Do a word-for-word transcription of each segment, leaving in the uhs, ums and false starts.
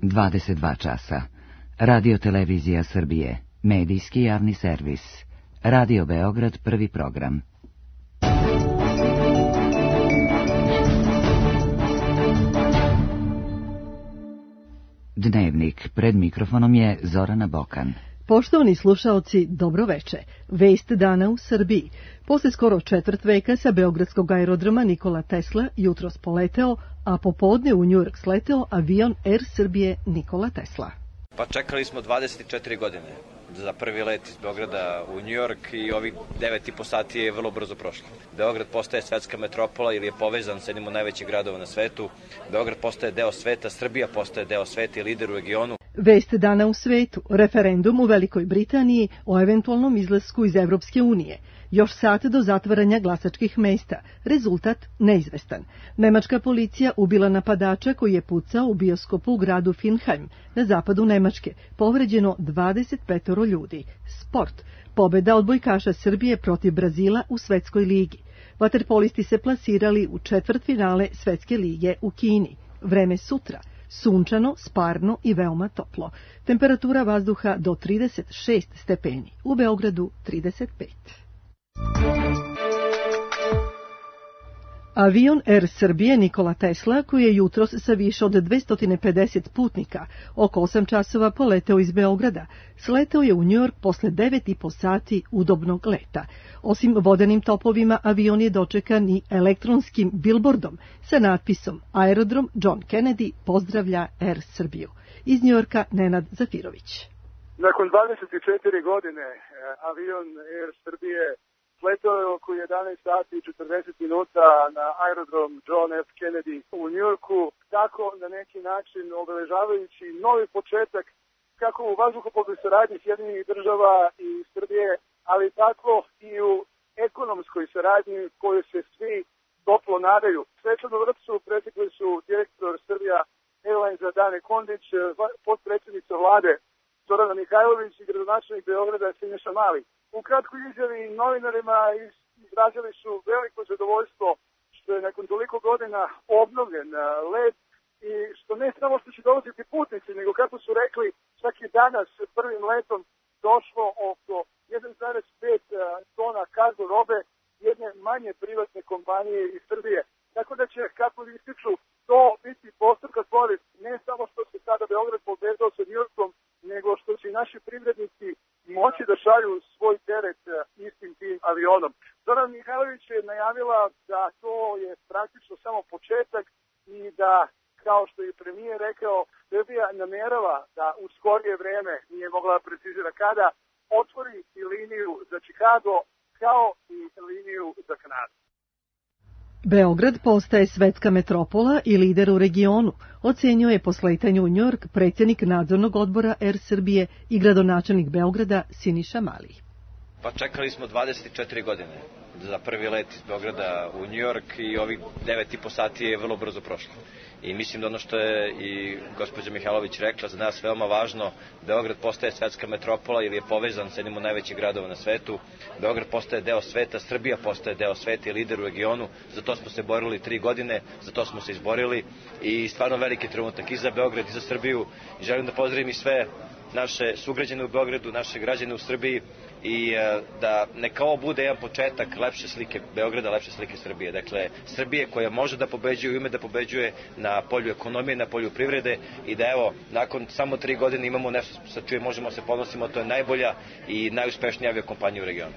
dvadeset dva časa. Radio Televizija Srbije, medijski javni servis. Radio Beograd, prvi program. Dnevnik, pred mikrofonom je Zorana Bokan. Poštovani slušaoci, dobro veče. Vest dana u Srbiji. Posle skoro četvrt veka sa beogradskog aerodroma Nikola Tesla jutros poleteo, a popodne u Njujork sleteo avion Air Srbije Nikola Tesla. Pa čekali smo dvadeset četiri godine za prvi let iz Beograda u Njujork i ovih devet i po sati je vrlo brzo prošlo. Beograd postaje svetska metropola ili je povezan sa jednim od najvećih gradova na svetu. Beograd postaje deo sveta, Srbija postaje deo sveta i lider u regionu. Vest dana u svetu. Referendum u Velikoj Britaniji o eventualnom izlasku iz Evropske unije. Još sat do zatvaranja glasačkih mesta. Rezultat neizvestan. Nemačka policija ubila napadača koji je pucao u bioskopu u gradu Finheim na zapadu Nemačke. Povređeno dvadeset pet ljudi. Sport. Pobeda odbojkaša Srbije protiv Brazila u Svetskoj ligi. Vaterpolisti se plasirali u četvrtfinale Svetske lige u Kini. Vreme sutra. Sunčano, sparno i veoma toplo. Temperatura vazduha do trideset šest stepeni. U Beogradu trideset pet. Avion Air Srbije Nikola Tesla, koji je jutros sa više od dvesta pedeset putnika oko osam časova poleteo iz Beograda, sleteo je u Njujork posle devet i po sati udobnog leta. Osim vodenim topovima, avion je dočekan i elektronskim bilbordom sa natpisom Aerodrom John Kennedy pozdravlja Air Srbiju. Iz Njujorka Nenad Zafirović. Nakon dvadeset četiri godine avion Air Srbije sletao je oko jedanaest sati i četrdeset minuta na aerodrom John F. Kennedy u Njujorku, tako na neki način obeležavajući novi početak kako u vazduhoplovnoj saradnji Sjedinjenih država i Srbije, ali tako i u ekonomskoj saradnji koju se svi toplo nadaju. Svečanu vrpcu pretekli su direktor Srbija Airlinesa Dane Kondić, potpredsjednica vlade Zorana Mihajlović i gradonačelnik Beograda Siniša Mali. U kratkoj izjavi novinarima izrazili su veliko zadovoljstvo što je nakon toliko godina obnovljen let i što ne samo što će dolaziti putnici, nego kako su rekli, čak i danas prvim letom došlo oko jedan zarez pet tona kargo robe jedne manje privatne kompanije iz Srbije. Tako da će, kako ističu, to biti postrka korist ne samo što se sada Beograd povezao sa Njujorkom, nego što će naši privrednici moći da šalju svoj teret istim tim avionom. Zorana Mihajlović je najavila da to je praktično samo početak i da, kao što je premijer rekao, Srbija namerava da u skorije vreme, nije mogla da precizira kada, otvori i liniju za Chicago kao i liniju za Kanadu. Beograd postaje svetska metropola i lider u regionu, ocenio je po sletanju u Njujork predsjednik nadzornog odbora Air Srbije i gradonačelnik Beograda Siniša Mali. Pa čekali smo dvadeset četiri godine za prvi let iz Beograda u Njujork i ovih devet i po sati je vrlo brzo prošlo. I mislim da ono što je i gospođa Mihajlović rekla, za nas veoma važno, Beograd postaje svetska metropola ili je povezan sa jednim od najvećih gradova na svetu. Beograd postaje deo sveta, Srbija postaje deo sveta i lider u regionu. Za to smo se borili tri godine, za to smo se izborili i stvarno veliki trenutak i za Beograd i za Srbiju. I želim da pozdravim i sve naše sugrađane u Beogradu, naše građane u Srbiji i da neka ovo bude jedan početak lepše slike Beograda, lepše slike Srbije. Dakle, Srbije koja može da pobeđuje i ume da pobeđuje na polju ekonomije, na polju privrede i da evo, nakon samo tri godine imamo nešto sa čime možemo se ponosimo, to je najbolja i najuspešnija aviokompanija u regionu.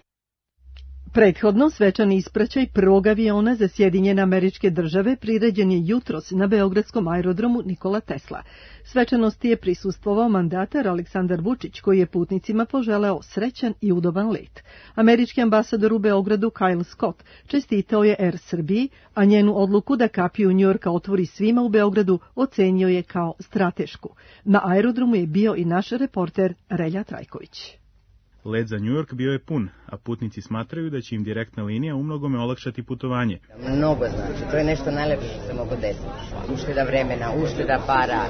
Prethodno svečani ispraćaj prvog aviona za Sjedinjene Američke Države priređen je jutros na beogradskom aerodromu Nikola Tesla. Svečanosti je prisustvovao mandatar Aleksandar Vučić, koji je putnicima poželeo srećan i udoban let. Američki ambasador u Beogradu Kyle Scott čestitao je Air Srbiji, a njenu odluku da kapiju Njujorka otvori svima u Beogradu ocenio je kao stratešku. Na aerodromu je bio i naš reporter Relja Trajković. Let za Njujork bio je pun, a putnici smatraju da će im direktna linija umnogome olakšati putovanje. Mnogo znači, to je nešto najlepše što se mogu desiti. Ušteda vremena, ušteda para,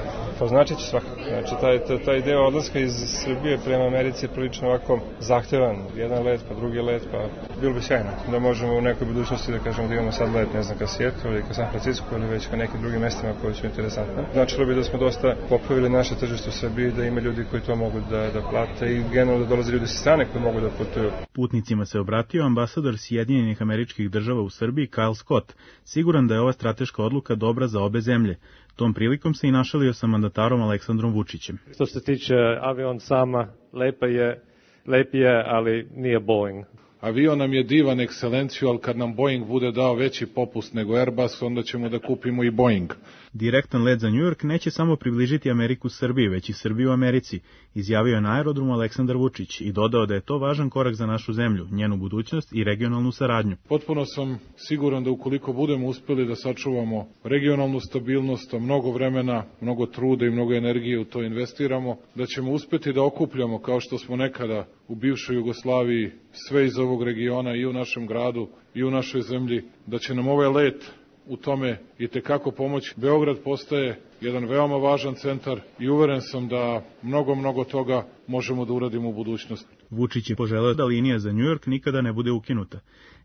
Pa znači će svakako. Znači, taj, taj deo odlaska iz Srbije prema Americi je prilično ovako zahtevan. Jedan let, pa drugi let, pa bilo bi sjajno da možemo u nekoj budućnosti da kažemo da imamo sad let, ne znam, ka Seattle ili ka San Francisco ili već ka nekim drugim mestima koji su interesantne. Značilo bi da smo dosta popravili naše tržište u Srbiji, da ima ljudi koji to mogu da, da plate i generalno da dolaze ljudi sa strane koji mogu da putuju. Putnicima se obratio ambasador Sjedinjenih Američkih Država u Srbiji Kyle Scott, siguran da je ova strateška odluka dobra za obe zemlje. Tom prilikom se i našalio sa mandatarom Aleksandrom Vučićem. Što se tiče avion sama, lepa je, lep je, ali nije Boeing. Avion nam je divan, ekscelenciju, ali kad nam Boeing bude dao veći popust nego Airbus, onda ćemo da kupimo i Boeing. Direktan let za New York neće samo približiti Ameriku Srbiji, već i Srbiju u Americi, izjavio je na aerodromu Aleksandar Vučić i dodao da je to važan korak za našu zemlju, njenu budućnost i regionalnu saradnju. Potpuno sam siguran da ukoliko budemo uspeli da sačuvamo regionalnu stabilnost, mnogo vremena, mnogo truda i mnogo energije u to investiramo, da ćemo uspeti da okupljamo, kao što smo nekada u bivšoj Jugoslaviji, sve iz ovog regiona i u našem gradu i u našoj zemlji, da će nam ovaj let u tome i tekako pomoć. Beograd postaje jedan veoma važan centar i uveren sam da mnogo, mnogo toga možemo da uradimo u budućnosti. Vučić je poželeo da linija za New York nikada ne bude ukinuta.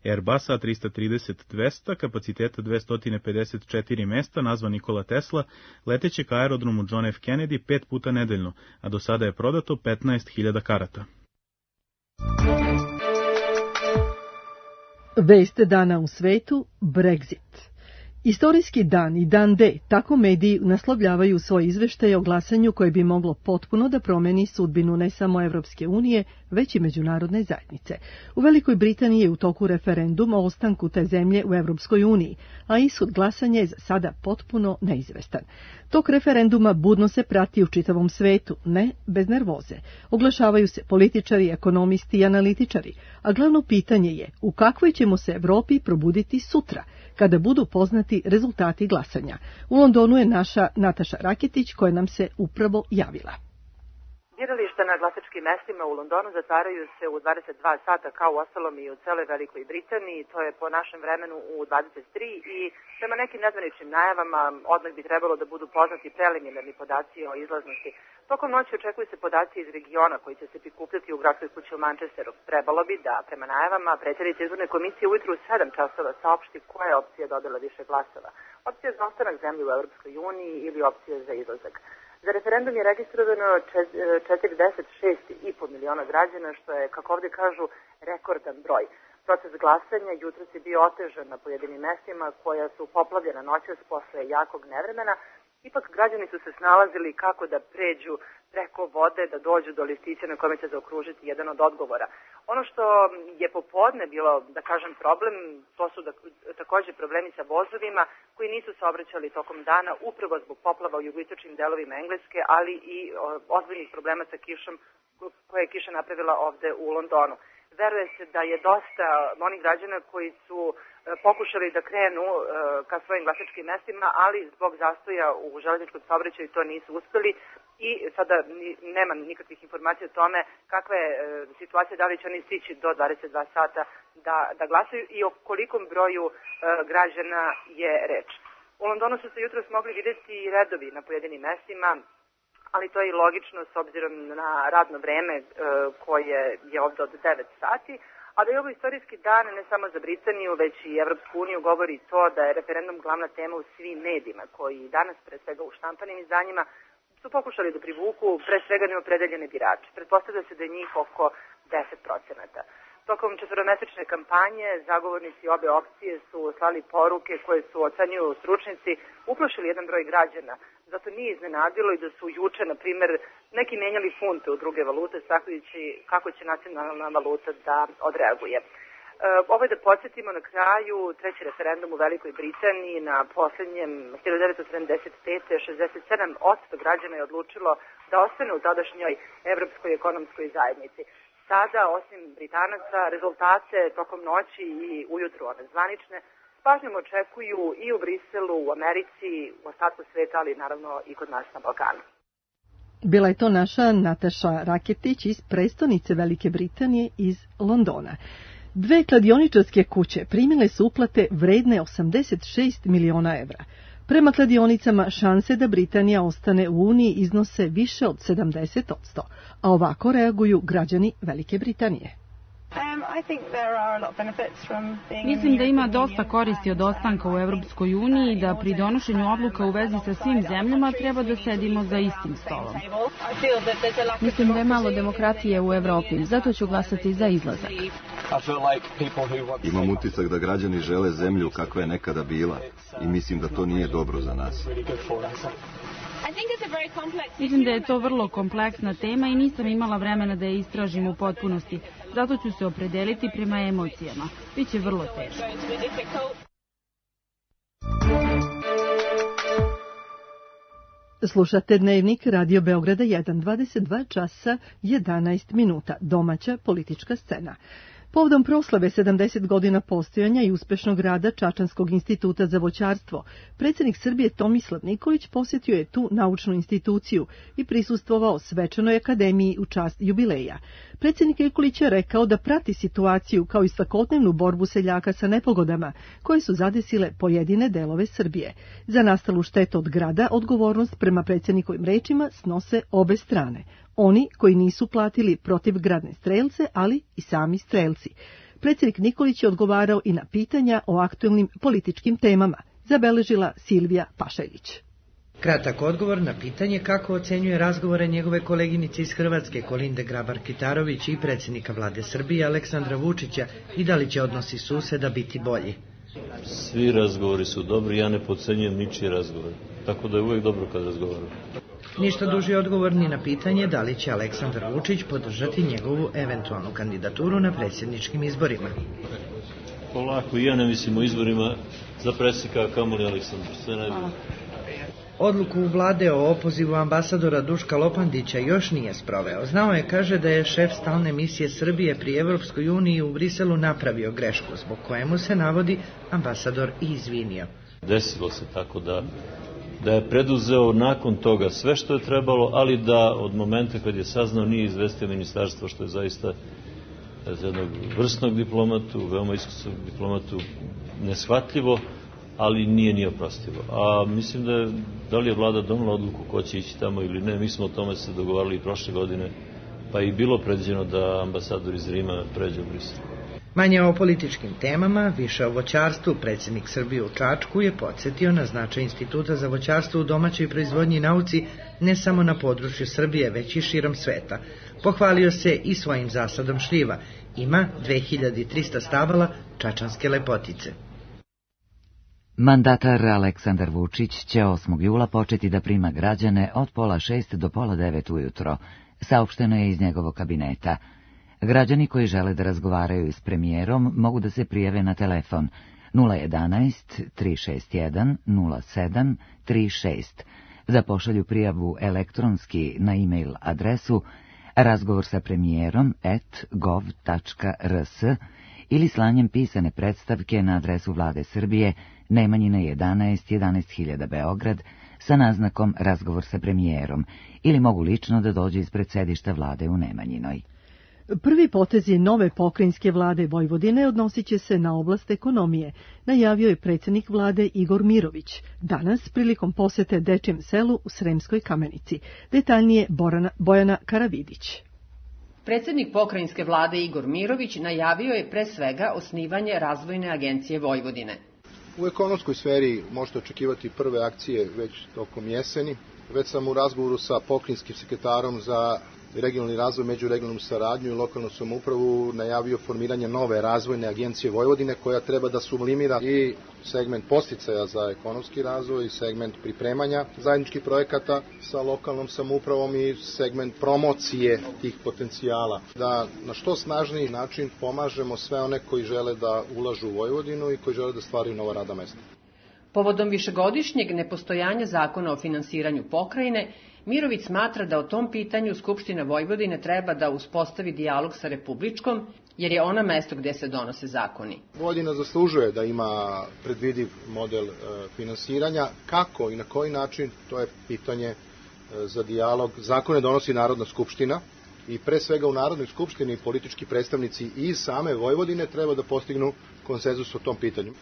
Airbus A tri trideset dvesta, kapaciteta dvesta pedeset četiri mesta, nazva Nikola Tesla, leteće ka aerodromu John F. Kennedy pet puta nedeljno, a do sada je prodato petnaest hiljada karata. Vest dana u svetu, Brexit. Istorijski dan i dan D, tako mediji naslovljavaju svoje izveštaje o glasanju koje bi moglo potpuno da promeni sudbinu ne samo Evropske unije, već i međunarodne zajednice. U Velikoj Britaniji je u toku referendum o ostanku te zemlje u Evropskoj uniji, a ishod glasanja je za sada potpuno neizvestan. Tok referenduma budno se prati u čitavom svetu, ne bez nervoze. Oglašavaju se političari, ekonomisti i analitičari, a glavno pitanje je u kakvoj ćemo se Evropi probuditi sutra, kada budu poznati rezultati glasanja. U Londonu je naša Nataša Raketić koja nam se upravo javila. Birališta na glasačkim mestima u Londonu zatvaraju se u dvadeset dva sata kao u ostalom i u celoj Velikoj Britaniji, to je po našem vremenu u dvadeset tri i prema nekim nezvaničnim najavama odmah bi trebalo da budu poznati preliminarni podaci o izlaznosti. Tokom noći očekuju se podaci iz regiona koji će se prikupljati u gradskoj kući u Manchesteru. Trebalo bi da, prema najavama, predsjednica izborne komisije ujutru u sedam časova saopšti koja je opcija dobila više glasova. Opcija za ostanak zemlje u Evropskoj uniji ili opcija za izlazak. Za referendum je registrovano četrdeset šest i po miliona građana, što je, kako ovdje kažu, rekordan broj. Proces glasanja jutros je bio otežan na pojedinim mestima koja su poplavljena noćas posle jakog nevremena. Ipak građani su se snalazili kako da pređu preko vode, da dođu do listića na kome će zaokružiti jedan od odgovora. Ono što je popodne bilo, da kažem, problem, to su da, također problemi sa vozovima koji nisu saobraćali tokom dana upravo zbog poplava u jugoistočnim delovima Engleske, ali i ozbiljnih problema sa kišom koje je kiša napravila ovde u Londonu. Veruje se da je dosta onih građana koji su pokušali da krenu ka svojim glasačkim mestima, ali zbog zastoja u železničkom saobraćaju to nisu uspeli i sada nema nikakvih informacija o tome kakva je situacija, da li će oni stići do dvadeset dva sata da, da glasaju i o kolikom broju građana je reč. U Londonu su se jutros mogli vidjeti redovi na pojedinim mestima, ali to je i logično s obzirom na radno vreme koje je ovdje od devet sati, a da je ovo istorijski dan ne samo za Britaniju, već i Evropsku uniju, govori to da je referendum glavna tema u svim medijima, koji danas, pre svega u štampanim izdanjima, su pokušali da privuku pre svega neopredeljene birače. Pretpostavlja se da je njih oko deset procenata. Tokom četvoromesečne kampanje zagovornici obe opcije su slali poruke koje su, ocenjuju stručnici, uplašili jedan broj građana. Zato nije iznenadilo i da su juče, na primjer, neki menjali funte u druge valute, sakujući kako će nacionalna valuta da odreaguje. Ovo je da podsjetimo na kraju treći referendum u Velikoj Britaniji na posljednjem hiljadu devetsto sedamdeset pete. šezdeset sedam posto građana je odlučilo da ostane u tadašnjoj Evropskoj ekonomskoj zajednici. Sada, osim Britanaca, rezultate tokom noći i ujutru one zvanične s pažnjom očekuju i u Briselu, u Americi, u ostatku sveta, ali naravno i kod nas na Balkanu. Bila je to naša Nataša Raketić iz prestonice Velike Britanije iz Londona. Dve kladioničarske kuće primile su uplate vredne osamdeset šest miliona evra. Prema kladionicama šanse da Britanija ostane u Uniji iznose više od sedamdeset posto, a ovako reaguju građani Velike Britanije. Mislim da ima dosta koristi od ostanka u Evropskoj uniji i da pri donošenju odluka u vezi sa svim zemljama treba da sedimo za istim stolom. Mislim da je malo demokratije u Evropi, zato ću glasati za izlazak. Imam utisak da građani žele zemlju kakva je nekada bila i mislim da to nije dobro za nas. Mislim da je to vrlo kompleksna tema i nisam imala vremena da je istražim u potpunosti. Zato ću se opredeliti prema emocijama. Biće vrlo teško. Slušate Dnevnik Radio Beograda jedan, dvadeset dva časa jedanaest minuta. Domaća politička scena. Povodom proslave sedamdeset godina postojanja i uspešnog rada Čačanskog instituta za voćarstvo, predsjednik Srbije Tomislav Nikolić posjetio je tu naučnu instituciju i prisustvovao svečanoj akademiji u čast jubileja. Predsjednik Nikolić je rekao da prati situaciju kao i svakodnevnu borbu seljaka sa nepogodama koje su zadesile pojedine delove Srbije. Za nastalu štetu od grada odgovornost prema predsjednikovim rečima snose obe strane. Oni koji nisu platili protivgradne strelce, ali i sami strelci. Predsjednik Nikolić je odgovarao i na pitanja o aktuelnim političkim temama, zabeležila Silvija Pašaljić. Kratak odgovor na pitanje kako ocenjuje razgovore njegove koleginice iz Hrvatske Kolinde Grabar-Kitarović i predsjednika vlade Srbije Aleksandra Vučića i da li će odnosi suseda biti bolji. Svi razgovori su dobri, ja ne podcenjujem ničije razgovore, tako da je uvijek dobro kad razgovaram. Ništa duži odgovor ni na pitanje da li će Aleksandar Vučić podržati njegovu eventualnu kandidaturu na predsjedničkim izborima. Polako, ja ne mislim o izborima za predsjednika, kamoli Aleksandar, sve najbolje. Odluku vlade o opozivu ambasadora Duška Lopandića još nije sproveo. Znao je, kaže, da je šef stalne misije Srbije pri Evropskoj uniji u Briselu napravio grešku, zbog kojemu se navodi ambasador i izvinio. Desilo se tako da da je preduzeo nakon toga sve što je trebalo, ali da od momenta kad je saznao nije izvestio ministarstvo, što je zaista za jednog vrsnog diplomatu, veoma iskusnog diplomatu neshvatljivo, ali nije ni oprostivo. A mislim da je, da li je vlada donela odluku ko će ići tamo ili ne, mi smo o tome se dogovarali i prošle godine, pa i bilo predviđeno da ambasador iz Rima pređe u Brisel. Manje o političkim temama, više o voćarstvu, predsjednik Srbije u Čačku je podsjetio na značaj Instituta za voćarstvo u domaćoj proizvodnji i nauci ne samo na području Srbije, već i širom sveta. Pohvalio se i svojim zasadom šljiva. Ima dve hiljade trista stabala čačanske lepotice. Mandatar Aleksandar Vučić će osmog jula početi da prima građane od pola šest do pola devet ujutro, saopšteno je iz njegovog kabineta. Građani koji žele da razgovaraju s premijerom mogu da se prijave na telefon nula jedanaest tri šest jedan nula sedam tri šest, da pošalju prijavu elektronski na e-mail adresu razgovor sa premijerom at gov tačka rs ili slanjem pisane predstavke na adresu Vlade Srbije Nemanjina jedanaest, jedanaest hiljada Beograd sa naznakom razgovor sa premijerom ili mogu lično da dođu ispred sedišta vlade u Nemanjinoj. Prvi potezi nove pokrajinske vlade Vojvodine odnosit će se na oblast ekonomije, najavio je predsjednik vlade Igor Mirović, danas prilikom posete Dečijem selu u Sremskoj Kamenici. Detaljnije Borana, Bojana Karavidić. Predsjednik pokrajinske vlade Igor Mirović najavio je pre svega osnivanje Razvojne agencije Vojvodine. U ekonomskoj sferi možete očekivati prve akcije već tokom jeseni. Već sam u razgovoru sa pokrajinskim sekretarom za regionalni razvoj, međuregionalnu saradnju i lokalnu samoupravu najavio formiranje nove razvojne agencije Vojvodine koja treba da sublimira i segment podsticaja za ekonomski razvoj i segment pripremanja zajedničkih projekata sa lokalnom samoupravom i segment promocije tih potencijala. Da na što snažniji način pomažemo sve one koji žele da ulažu u Vojvodinu i koji žele da stvaraju nova radna mesta. Povodom višegodišnjeg nepostojanja zakona o finansiranju pokrajine, Mirović smatra da o tom pitanju Skupština Vojvodine treba da uspostavi dijalog sa Republičkom, jer je ona mesto gde se donose zakoni. Vojvodina zaslužuje da ima predvidiv model e, finansiranja. Kako i na koji način, to je pitanje e, za dijalog. Zakone donosi Narodna skupština i pre svega u Narodnoj skupštini politički predstavnici iz same Vojvodine treba da postignu konsenzus o tom pitanju.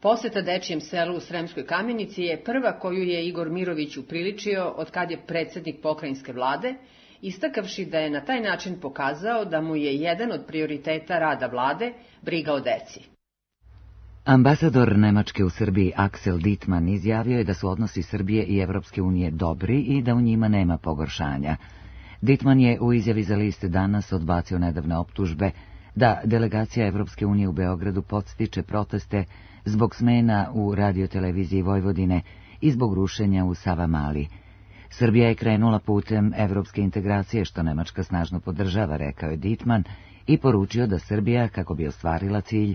Poseta dečijem selu u Sremskoj Kamenici je prva koju je Igor Mirović upriličio od kad je predsednik pokrajinske vlade, istakavši da je na taj način pokazao da mu je jedan od prioriteta rada vlade briga o deci. Ambasador Nemačke u Srbiji Axel Dittmann izjavio je da su odnosi Srbije i Evropske unije dobri i da u njima nema pogoršanja. Dittmann je u izjavi za list Danas odbacio nedavne optužbe da delegacija Evropske unije u Beogradu podstiče proteste zbog smena u radioteleviziji Vojvodine i zbog rušenja u Savamali. Srbija je krenula putem evropske integracije, što Nemačka snažno podržava, rekao je Dittmann, i poručio da Srbija, kako bi ostvarila cilj,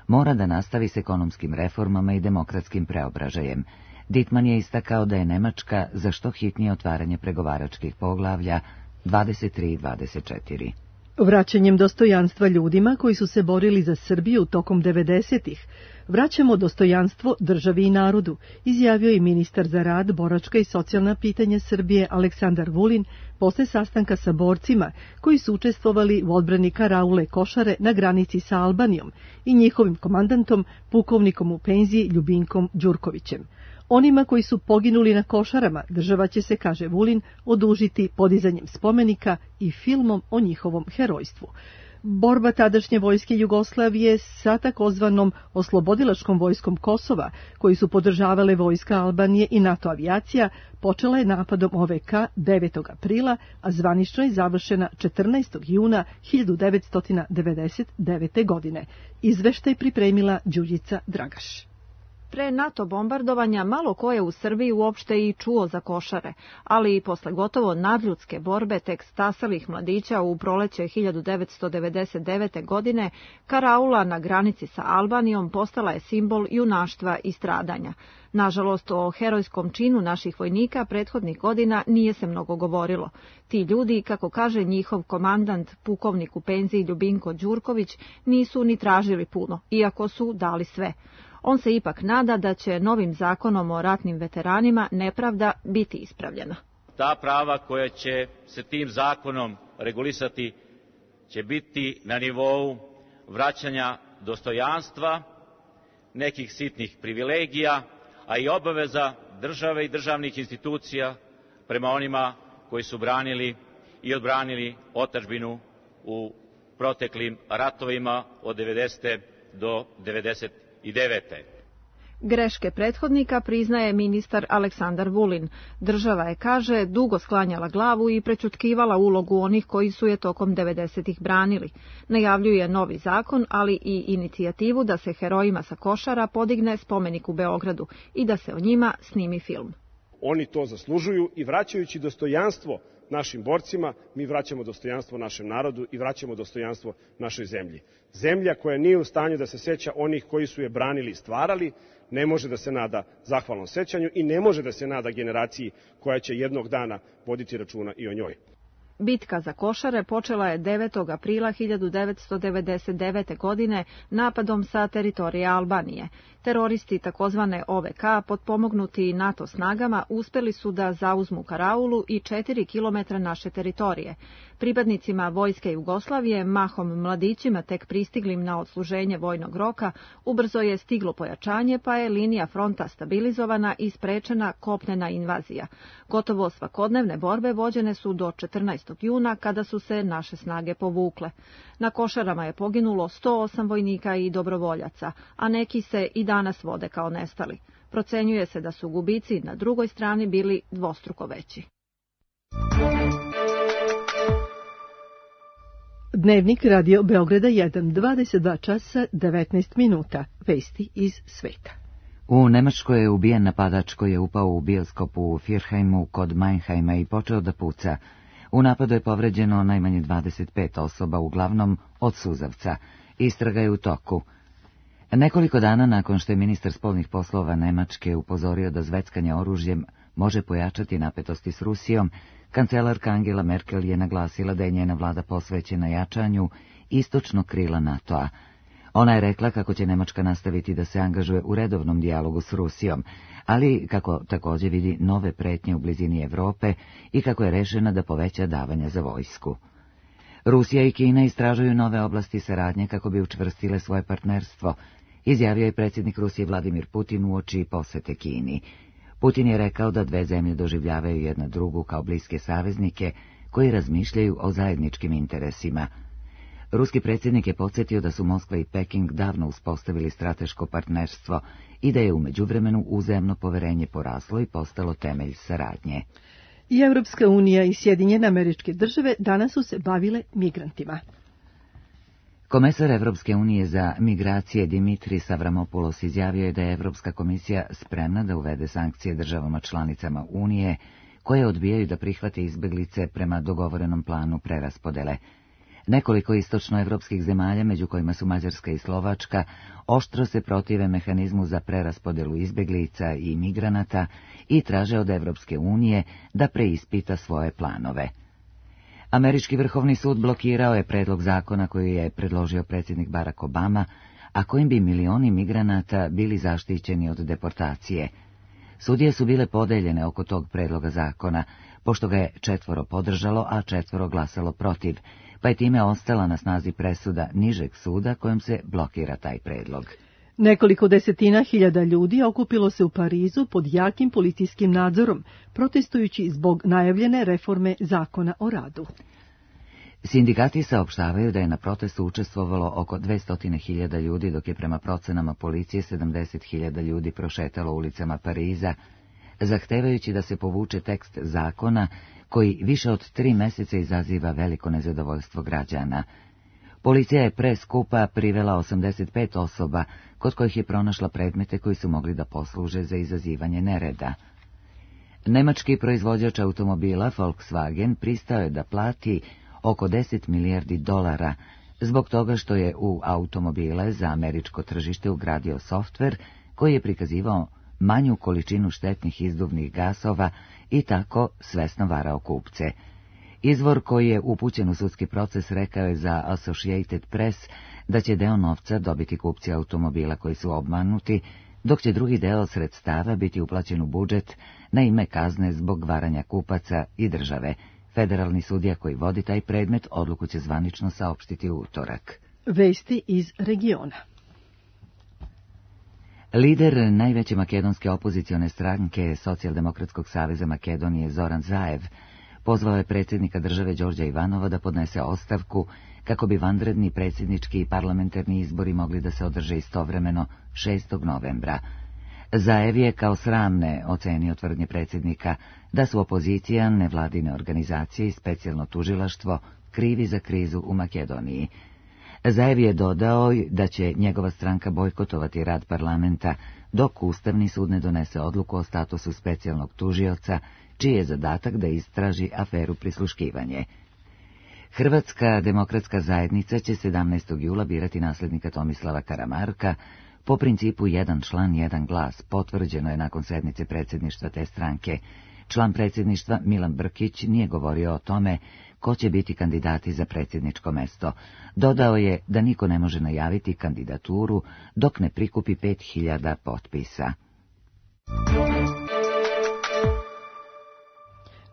mora da nastavi s ekonomskim reformama i demokratskim preobražajem. Dittmann je istakao da je Nemačka za što hitnije otvaranje pregovaračkih poglavlja dvadeset tri i dvadeset četiri. Vraćanjem dostojanstva ljudima koji su se borili za Srbiju tokom devedesetih, vraćamo dostojanstvo državi i narodu, izjavio je ministar za rad, boračka i socijalna pitanja Srbije Aleksandar Vulin posle sastanka sa borcima koji su učestvovali u odbrani karaule Košare na granici sa Albanijom i njihovim komandantom, pukovnikom u penziji Ljubinkom Đurkovićem. Onima koji su poginuli na Košarama država će se, kaže Vulin, odužiti podizanjem spomenika i filmom o njihovom herojstvu. Borba tadašnje vojske Jugoslavije sa takozvanom oslobodilačkom vojskom Kosova, koji su podržavale vojska Albanije i NATO avijacija, počela je napadom O V K devetog aprila, a zvanično je završena četrnaestog juna hiljadu devetsto devedeset devete. godine. Izveštaj pripremila Đurđica Dragaš. Pre NATO bombardovanja malo ko je u Srbiji uopšte i čuo za Košare, ali i posle gotovo nadljudske borbe tek stasalih mladića u proleće hiljadu devetsto devedeset devete. godine, karaula na granici sa Albanijom postala je simbol junaštva i stradanja. Nažalost, o herojskom činu naših vojnika prethodnih godina nije se mnogo govorilo. Ti ljudi, kako kaže njihov komandant, pukovnik u penziji Ljubinko Đurković, nisu ni tražili puno, iako su dali sve. On se ipak nada da će novim zakonom o ratnim veteranima nepravda biti ispravljena. Ta prava koja će se tim zakonom regulisati će biti na nivou vraćanja dostojanstva, nekih sitnih privilegija, a i obaveza države i državnih institucija prema onima koji su branili i odbranili otadžbinu u proteklim ratovima od devedesete do devedeset devete. Greške prethodnika priznaje ministar Aleksandar Vulin. Država je, kaže, dugo sklanjala glavu i prećutkivala ulogu onih koji su je tokom devedesetih branili. Najavljuje novi zakon, ali i inicijativu da se herojima sa Košara podigne spomenik u Beogradu i da se o njima snimi film. Oni to zaslužuju i vraćajući dostojanstvo našim borcima, mi vraćamo dostojanstvo našem narodu i vraćamo dostojanstvo našoj zemlji. Zemlja koja nije u stanju da se seća onih koji su je branili i stvarali, ne može da se nada zahvalnom sećanju i ne može da se nada generaciji koja će jednog dana voditi računa i o njoj. Bitka za Košare počela je devetog aprila hiljadu devetsto devedeset devete. godine napadom sa teritorije Albanije. Teroristi takozvane O V K, potpomognuti NATO snagama, uspeli su da zauzmu karaulu i četiri kilometra naše teritorije. Pripadnicima vojske Jugoslavije, mahom mladićima tek pristiglim na odsluženje vojnog roka, ubrzo je stiglo pojačanje, pa je linija fronta stabilizovana i sprečena kopnena invazija. Gotovo svakodnevne borbe vođene su do četrnaestog juna, kada su se naše snage povukle. Na Košarama je poginulo sto osam vojnika i dobrovoljaca, a neki se i danas vode kao nestali. Procenjuje se da su gubici na drugoj strani bili dvostruko veći. Dnevnik Radio Beograda jedan, dvadeset dva časa, devetnaest minuta. Vesti iz sveta. U Nemačkoj je ubijen napadač koji je upao u bioskop u Firheimu kod Mannheima i počeo da puca. U napadu je povređeno najmanje dvadeset pet osoba, uglavnom od suzavca. Istraga je u toku. Nekoliko dana nakon što je ministar spoljnih poslova Nemačke upozorio da zveckanje oružjem može pojačati napetosti s Rusijom, kancelarka Angela Merkel je naglasila da je njena vlada posvećena jačanju istočnog krila NATO-a. Ona je rekla kako će Nemačka nastaviti da se angažuje u redovnom dijalogu s Rusijom, ali kako također vidi nove pretnje u blizini Evrope i kako je rešena da poveća davanja za vojsku. Rusija i Kina istražuju nove oblasti saradnje kako bi učvrstile svoje partnerstvo, izjavio je predsjednik Rusije Vladimir Putin uoči posete Kini. Putin je rekao da dve zemlje doživljavaju jedna drugu kao bliske saveznike koji razmišljaju o zajedničkim interesima. Ruski predsjednik je podsjetio da su Moskva i Peking davno uspostavili strateško partnerstvo i da je u međuvremenu uzajamno poverenje poraslo i postalo temelj saradnje. I Evropska unija i Sjedinjene Američke Države danas su se bavile migrantima. Komesar Evropske unije za migracije Dimitris Avramopoulos izjavio je da je Evropska komisija spremna da uvede sankcije državama članicama Unije koje odbijaju da prihvate izbeglice prema dogovorenom planu preraspodele. Nekoliko istočnoevropskih zemalja, među kojima su Mađarska i Slovačka, oštro se protive mehanizmu za preraspodelu izbeglica i migranata i traže od Evropske unije da preispita svoje planove. Američki vrhovni sud blokirao je predlog zakona koji je predložio predsjednik Barack Obama, a kojim bi milioni migranata bili zaštićeni od deportacije. Sudije su bile podeljene oko tog predloga zakona, pošto ga je četvoro podržalo, a četvoro glasalo protiv, pa je time ostala na snazi presuda nižeg suda kojom se blokira taj predlog. Nekoliko desetina hiljada ljudi okupilo se u Parizu pod jakim policijskim nadzorom, protestujući zbog najavljene reforme zakona o radu. Sindikati saopštavaju da je na protestu učestvovalo oko dvesta hiljada ljudi, dok je prema procenama policije sedamdeset hiljada ljudi prošetalo ulicama Pariza, zahtevajući da se povuče tekst zakona koji više od tri meseca izaziva veliko nezadovoljstvo građana. Policija je pre skupa privela osamdeset pet osoba, kod kojih je pronašla predmete koji su mogli da posluže za izazivanje nereda. Nemački proizvođač automobila Volkswagen pristao je da plati oko deset milijardi dolara zbog toga što je u automobile za američko tržište ugradio softver koji je prikazivao manju količinu štetnih izduvnih gasova i tako svesno varao kupce. Izvor koji je upućen u sudski proces rekao je za Associated Press da će deo novca dobiti kupci automobila koji su obmanuti, dok će drugi deo sredstava biti uplaćen u budžet na ime kazne zbog varanja kupaca i države. Federalni sudija koji vodi taj predmet odluku će zvanično saopštiti u utorak. Vesti iz regiona. Lider najveće makedonske opozicione stranke Socijaldemokratskog saveza Makedonije Zoran Zaev pozvao je predsjednika države Đorđa Ivanova da podnese ostavku kako bi vanredni predsjednički i parlamentarni izbori mogli da se održe istovremeno šestog novembra. Zaev je kao sramne ocenio tvrdnje predsjednika da su opozicija, nevladine organizacije i specijalno tužilaštvo krivi za krizu u Makedoniji. Zaev je dodao da će njegova stranka bojkotovati rad parlamenta dok Ustavni sud ne donese odluku o statusu specijalnog tužioca, čiji je zadatak da istraži aferu prisluškivanje. Hrvatska demokratska zajednica će sedamnaestog jula birati nasljednika Tomislava Karamarka po principu jedan član, jedan glas, potvrđeno je nakon sednice predsjedništva te stranke. Član predsjedništva Milan Brkić nije govorio o tome ko će biti kandidati za predsjedničko mesto. Dodao je da niko ne može najaviti kandidaturu dok ne prikupi pet hiljada potpisa.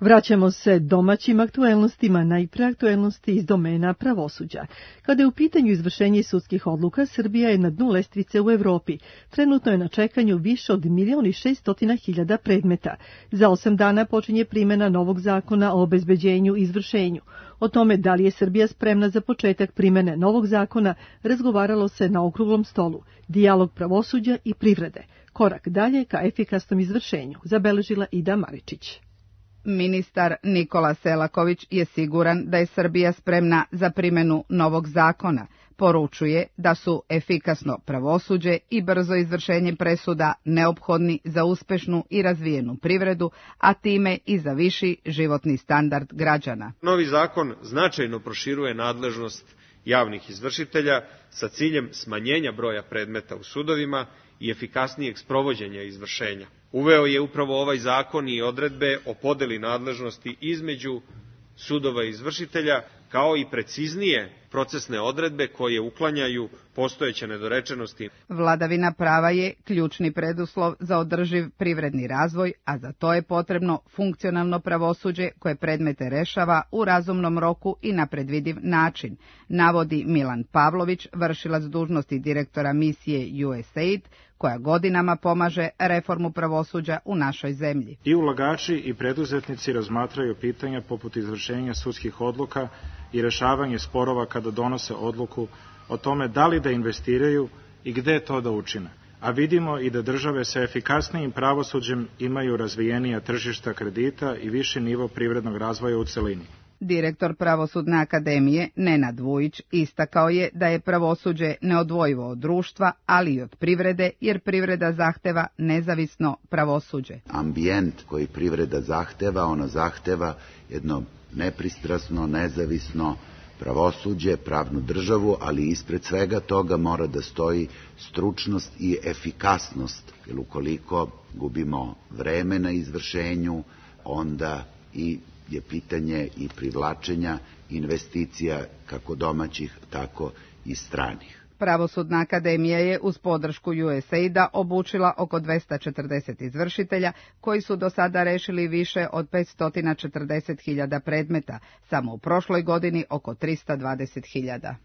Vraćamo se domaćim aktuelnostima, najpre aktuelnosti iz domena pravosuđa. Kada je u pitanju izvršenje sudskih odluka, Srbija je na dnu lestvice u Evropi. Trenutno je na čekanju više od milion i šeststotina hiljada predmeta. Za osam dana počinje primjena novog zakona o obezbeđenju i izvršenju. O tome da li je Srbija spremna za početak primjene novog zakona razgovaralo se na okruglom stolu. Dijalog pravosuđa i privrede. Korak dalje ka efikasnom izvršenju, zabeležila Ida Maričić. Ministar Nikola Selaković je siguran da je Srbija spremna za primjenu novog zakona. Poručuje da su efikasno pravosuđe i brzo izvršenje presuda neophodni za uspešnu i razvijenu privredu, a time i za viši životni standard građana. Novi zakon značajno proširuje nadležnost javnih izvršitelja sa ciljem smanjenja broja predmeta u sudovima i efikasnijeg sprovođenja izvršenja. Uveo je upravo ovaj zakon i odredbe o podeli nadležnosti između sudova i izvršitelja, kao i preciznije procesne odredbe koje uklanjaju postojeće nedorečenosti. Vladavina prava je ključni preduslov za održiv privredni razvoj, a za to je potrebno funkcionalno pravosuđe koje predmete rešava u razumnom roku i na predvidiv način, navodi Milan Pavlović, vršilac dužnosti direktora misije U S A I D, koja godinama pomaže reformu pravosuđa u našoj zemlji. I ulagači i preduzetnici razmatraju pitanja poput izvršenja sudskih odluka i rešavanje sporova kada donose odluku o tome da li da investiraju i gde to da učine. A vidimo i da države sa efikasnijim pravosuđem imaju razvijenija tržišta kredita i viši nivo privrednog razvoja u celini. Direktor Pravosudne akademije Nenad Vujić istakao je da je pravosuđe neodvojivo od društva, ali i od privrede, jer privreda zahteva nezavisno pravosuđe. Ambijent koji privreda zahteva, ono zahteva jedno nepristrasno, nezavisno pravosuđe, pravnu državu, ali ispred svega toga mora da stoji stručnost i efikasnost, jer ukoliko gubimo vreme na izvršenju, onda i je pitanje i privlačenja investicija kako domaćih, tako i stranih. Pravosudna akademija je uz podršku U S A I D-a obučila oko dvesta četrdeset izvršitelja koji su do sada rešili više od petsto četrdeset hiljada predmeta, samo u prošloj godini oko trista dvadeset hiljada.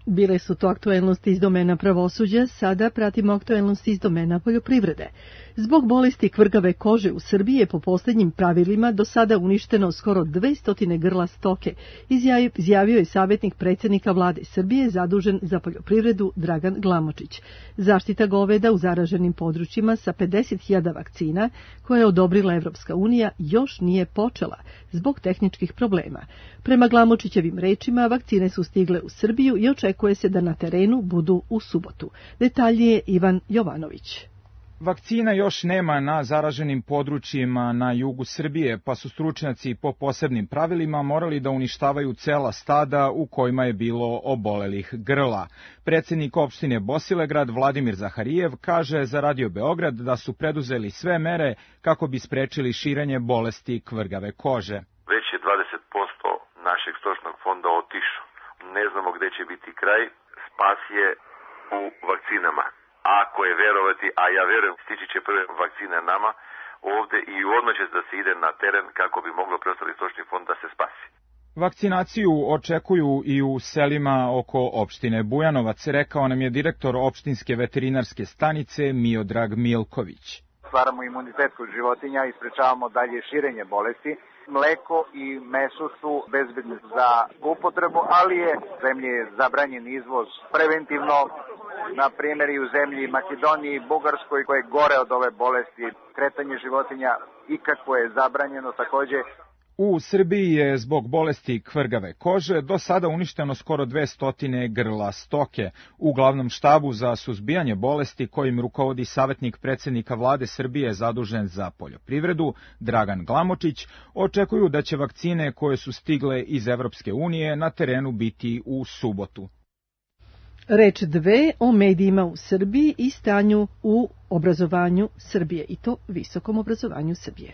Bile su to aktuelnosti iz domena pravosuđa, sada pratimo aktuelnosti iz domena poljoprivrede. Zbog bolesti kvrgave kože u Srbiji je po posljednjim pravilima do sada uništeno skoro dvesta grla stoke, izjavio je savjetnik predsjednika vlade Srbije zadužen za poljoprivredu Dragan Glamočić. Zaštita goveda u zaraženim područjima sa pedeset hiljada vakcina koje je odobrila Evropska unija još nije počela zbog tehničkih problema. Prema Glamočićevim rečima, vakcine su stigle u Srbiju i očekuje se da na terenu budu u subotu. Detaljnije Ivan Jovanović. Vakcina još nema na zaraženim područjima na jugu Srbije, pa su stručnjaci po posebnim pravilima morali da uništavaju cela stada u kojima je bilo obolelih grla. Predsjednik opštine Bosilegrad Vladimir Zaharijev kaže za Radio Beograd da su preduzeli sve mere kako bi sprečili širenje bolesti kvrgave kože. Već je dvadeset posto našeg stočnog fonda otišao. Ne znamo gde će biti kraj, spas je u vakcinama. Ako je verovati, a ja verujem, stići će prve vakcine nama ovde i odmah će da se ide na teren kako bi moglo preostali stočni fond da se spasi. Vakcinaciju očekuju i u selima oko opštine Bujanovac, rekao nam je direktor opštinske veterinarske stanice Miodrag Milković. Stvaramo imunitet kod životinja i sprečavamo dalje širenje bolesti. Mleko i meso su bezbedni za upotrebu, ali je zemlje je zabranjen izvoz preventivno, na primjer i u zemlji Makedoniji, Bugarskoj, koje je gore od ove bolesti. Kretanje životinja ikako je zabranjeno također. U Srbiji je zbog bolesti kvrgave kože do sada uništeno skoro dvesta grla stoke. U glavnom štabu za suzbijanje bolesti kojim rukovodi savjetnik predsjednika vlade Srbije zadužen za poljoprivredu Dragan Glamočić očekuju da će vakcine koje su stigle iz Evropske unije na terenu biti u subotu. Reč dve o medijima u Srbiji i stanju u obrazovanju Srbije, i to visokom obrazovanju Srbije.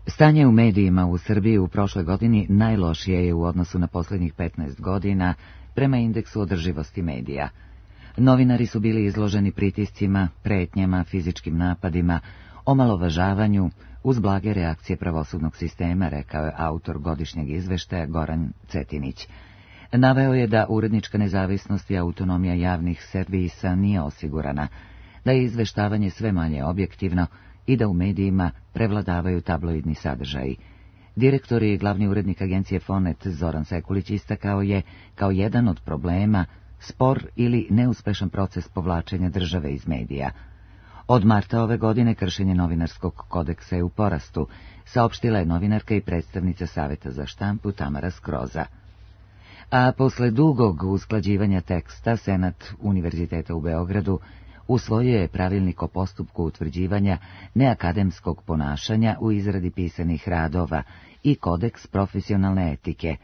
Stanje u medijima u Srbiji u prošloj godini najlošije je u odnosu na posljednjih petnaest godina prema indeksu održivosti medija. Novinari su bili izloženi pritiscima, pretnjama, fizičkim napadima, omalovažavanju uz blage reakcije pravosudnog sistema, rekao je autor godišnjeg izveštaja Goran Cetinić. Naveo je da urednička nezavisnost i autonomija javnih servisa nije osigurana, da je izveštavanje sve manje objektivno i da u medijima prevladavaju tabloidni sadržaji. Direktor i glavni urednik agencije Fonet Zoran Sekulić istakao je kao jedan od problema spor ili neuspešan proces povlačenja države iz medija. Od marta ove godine kršenje novinarskog kodeksa je u porastu, saopštila je novinarka i predstavnica Saveta za štampu Tamara Skroza. A posle dugog usklađivanja teksta, Senat Univerziteta u Beogradu usvojio je pravilnik o postupku utvrđivanja neakademskog ponašanja u izradi pisanih radova i kodeks profesionalne etike.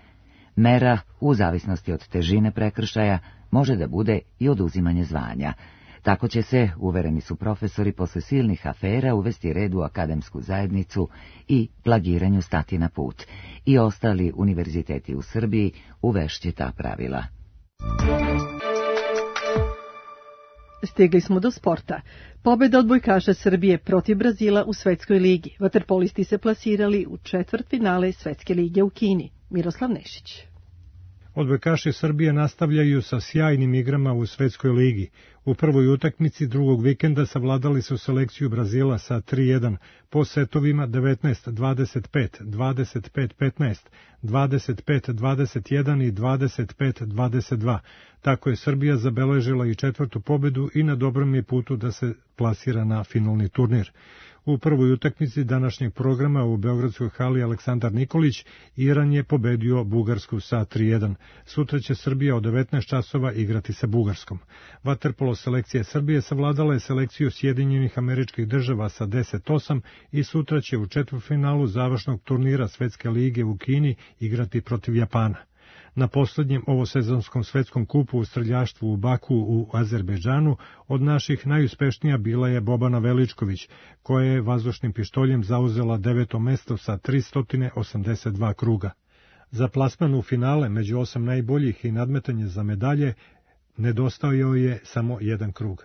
Mera, u zavisnosti od težine prekršaja, može da bude i oduzimanje zvanja. Tako će se, uvereni su profesori, posle silnih afera uvesti red u akademsku zajednicu i plagiranju stati na put. I ostali univerziteti u Srbiji uvešće ta pravila. Stigli smo do sporta. Pobeda odbojkaša Srbije protiv Brazila u Svetskoj ligi. Vaterpolisti se plasirali u četvrtfinale Svetske lige u Kini. Miroslav Nešić. Odbojkaši Srbije nastavljaju sa sjajnim igrama u Svetskoj ligi. U prvoj utakmici drugog vikenda savladali su selekciju Brazila sa tri jedan po setovima devetnaest dvadeset pet, dvadeset pet petnaest, dvadeset pet dvadeset jedan i dvadeset pet dvadeset dva. Tako je Srbija zabeležila i četvrtu pobedu i na dobrom je putu da se plasira na finalni turnir. U prvoj utakmici današnjeg programa u Beogradskoj hali Aleksandar Nikolić Iran je pobedio Bugarsku sa tri jedan. Sutra će Srbija od devetnaest časova igrati sa Bugarskom. Vaterpolo selekcija Srbije savladala je selekciju Sjedinjenih Američkih Država sa deset osam i sutra će u četvrtfinalu završnog turnira Svetske lige u Kini igrati protiv Japana. Na poslednjem ovosezonskom svetskom kupu u streljaštvu u Baku u Azerbejdžanu od naših najuspešnija bila je Bobana Veličković, koja je vazdušnim pištoljem zauzela deveto mesto sa tristo osamdeset dva kruga. Za plasman u finale među osam najboljih i nadmetanje za medalje nedostajao je samo jedan krug.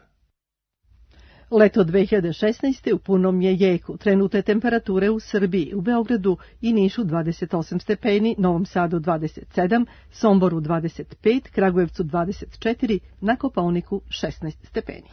Leto dve hiljade šesnaeste. u punom je jeku. Trenutne temperature u Srbiji, u Beogradu i Nišu dvadeset osam stepeni, Novom Sadu dvadeset sedam, Somboru dvadeset pet, Kragujevcu dvadeset četiri, na Kopaoniku šesnaest stepeni.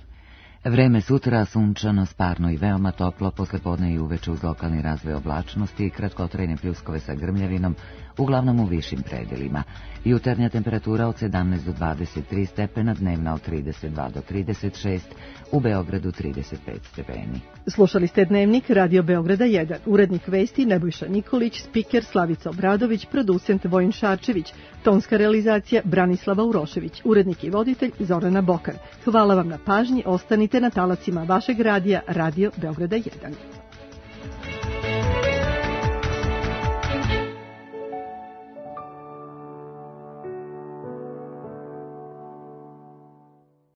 Vreme sutra sunčano, sparno i veoma toplo, poslepodne i uveče uz lokalni razvoj oblačnosti i kratkotrajne pljuskove sa grmljavinom, uglavnom u višim predelima. Jutarnja temperatura od sedamnaest do dvadeset tri stepena, dnevna od trideset dva do trideset šest, u Beogradu trideset pet stepeni. Slušali ste Dnevnik Radio Beograda jedan, urednik vesti Nebojša Nikolić, spiker Slavica Obradović, producent Vojin Šarčević, tonska realizacija Branislava Urošević, urednik i voditelj Zorana Bokan. Hvala vam na pažnji, ostanite na talacima vašeg radija Radio Beograda jedan.